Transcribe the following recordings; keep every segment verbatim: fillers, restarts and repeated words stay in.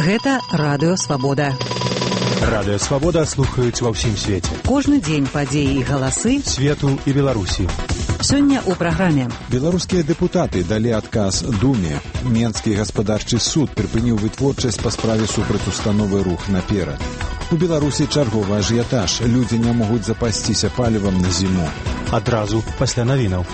Гэта Радыё Свабода. Радыё Свабода слухаюць ва ўсім свеце. Кожны дзень падзеі і галасы свету і Беларусі. Сёння ў праграме. Беларускія дэпутаты далі адказ Думе. Менскі гаспадарчы суд прыпыніў вытворчасць па справе супраць установы «Рух наперад». У Беларусі чарговы ажыятаж. Людзі не могуць запасціся палівам на зіму. Адразу пасля навінаў.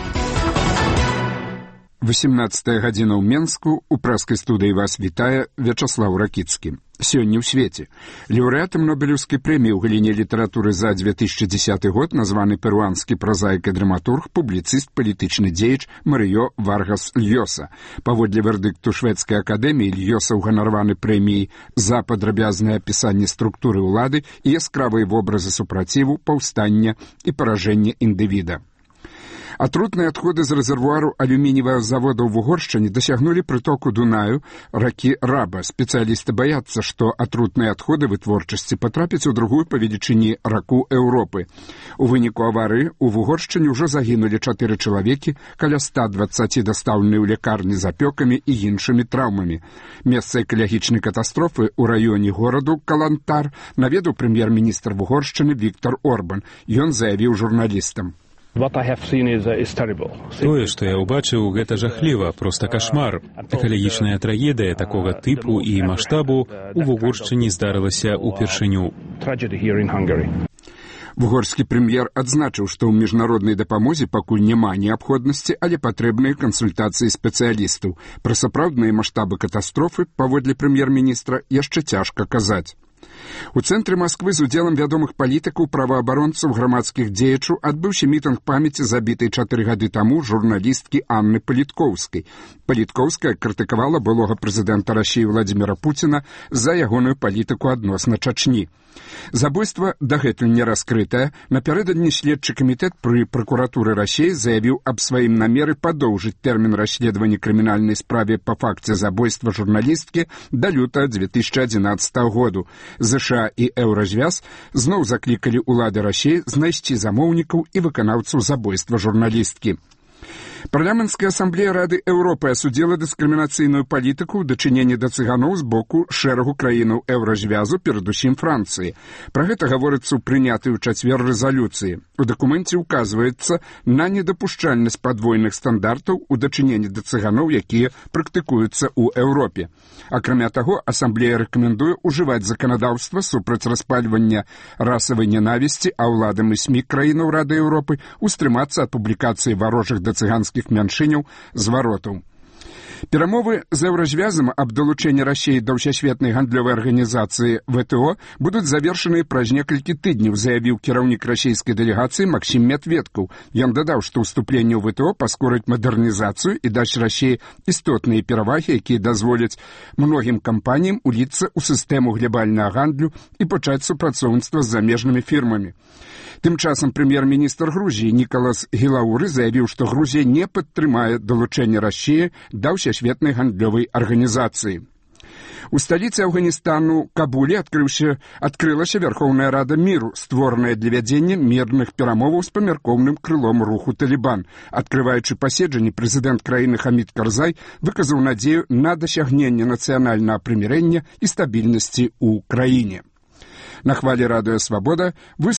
восемнадцатая гадзіна ў Менску. У прэскай студыі вас вітае Вячаслаў Ракіцкі. Сёння ў свеце. Лаўрэатам Нобелеўскай прэміі ў галіне літаратуры за две тысячы дзесяты год названы перуанскі празаік і драматург, публіцыст, палітычны дзеяч Марыё Варгас Льёса. Паводле вердыкту шведскай акадэміі, Льёса ўганараваны прэміяй за падрабязнае апісанне структуры ўлады і яскравыя вобразы супраціву, паўстання і паражэння індывіда. Атрутныя адходы з рэзервуару алюміниевого завода ў Угоршчыне дасягнулі прытоку Дунаю ракі Раба. Спецыялісты баяцца, што атрутныя адходы вытворчасці патрапяць у другую па велічыні раку Еўропы. У выніку аварыі ў Угоршчыне ўжо загінулі чатыры чалавекі, каля ста дваццаць дастаўлены ў лякарні з апёкамі і іншымі траўмамі. Месца экалагічнай катастрофы ў раёне гораду Калантар наведаў прэм'ер-міністр Угоршчыны Віктор Орбан. Ён заявіў журналістам: Тое, што я ўбачыў, гэта жахліва, проста кашмар. Экалагічная трагедыя такога тыпу і маштабу ў Угоршчыне здарылася ўпершыню. Угорскі прэм'ер адзначыў, што ў міжнароднай дапамозе пакуль няма неабходнасці, але патрэбныя кансультацыі спецыялістаў. Пра сапраўдныя маштабы катастрофы, паводле прэм'ер-міністра, яшчэ цяжка казаць. У цэнтры Масквы з удзелам вядомых палітыкаў, праваабаронцаў, грамадскіх дзеячаў адбыўся мітынг памяці забітай чатыры гады таму журналісткі Анны Паліткоўскай. Паліткоўская крытыкавала былога прэзідэнта Расіі Владзіміра Пуціна за ягоную палітыку адносна Чачні. Забойства дагэтуль не раскрытае. Напярэдадні следчы камітэт пры пракуратуры Расіі заявіў аб сваім намеры падоўжыць тэрмін расследавання крымінальнай справе па факце забойства журналісткі да лютага две тысячы адзінаццатага году. ЗША і Еўразвяз зноў заклікалі ўлады Расіі знайсці замоўнікаў і выканаўцаў забойства журналісткі. Парламенцкая асамблея Рады Еўропы асудзіла дыскрымінацыйную палітыку ў дачыненні да цыганоў з боку шэрагу краінаў Еўразвязу, перадусім Францыі. Пра гэта гаворыцца ў прынятай у чацвер рэзалюцыі. У дакуменце ўказваецца на недапушчальнасць падвойных стандартаў у дачыненні да цыганоў, якія практыкуюцца ў Еўропе. Акрамя таго, асамблея рэкамендуе ўжываць заканадаўства супраць распальвання расавай ненавісці, а ўладам і СМІ краінаў Рады Еўропы устрымацца ад публікацыі варожых да цыганскіх мяншыняў зваротаў. Перамовы з Еўразвязам аб далучэнні Расіі да ўсесветнай гандлёвай арганізацыі ВТО будуць завершаныя праз некалькі тыдняў, заявіў кіраўнік расійскай дэлегацыі Максім Медведкаў. Ён дадаў, што ўступленне ў ВТО паскорыць мадэрнізацыю і дасць Расіі істотныя перавагі, якія дазволяць многім кампаніям уліцца ў сістэму глобальнага гандлю і пачаць супрацоўніцтва з замежнымі фірмамі. Тым часам прэм'ер-міністр Грузіі Нікалас Гілауры заявіў, што Грузія не падтрымае далучэнне Расіі да ўсесветнай гандлёвай арганізацыі. У сталіцы Афганістану Кабуле адкрыўся, адкрылася Вярхоўная Рада міру, створаная для вядзення мірных перамоваў з памяркоўным крылом руху Талібан. Адкрываючы паседжанне, прэзідэнт краіны Хамід Карзай выказаў надзею на дасягненне нацыянальнага прымірэння і стабільнасці ў краіне. На хвалі Радыё Свабода вы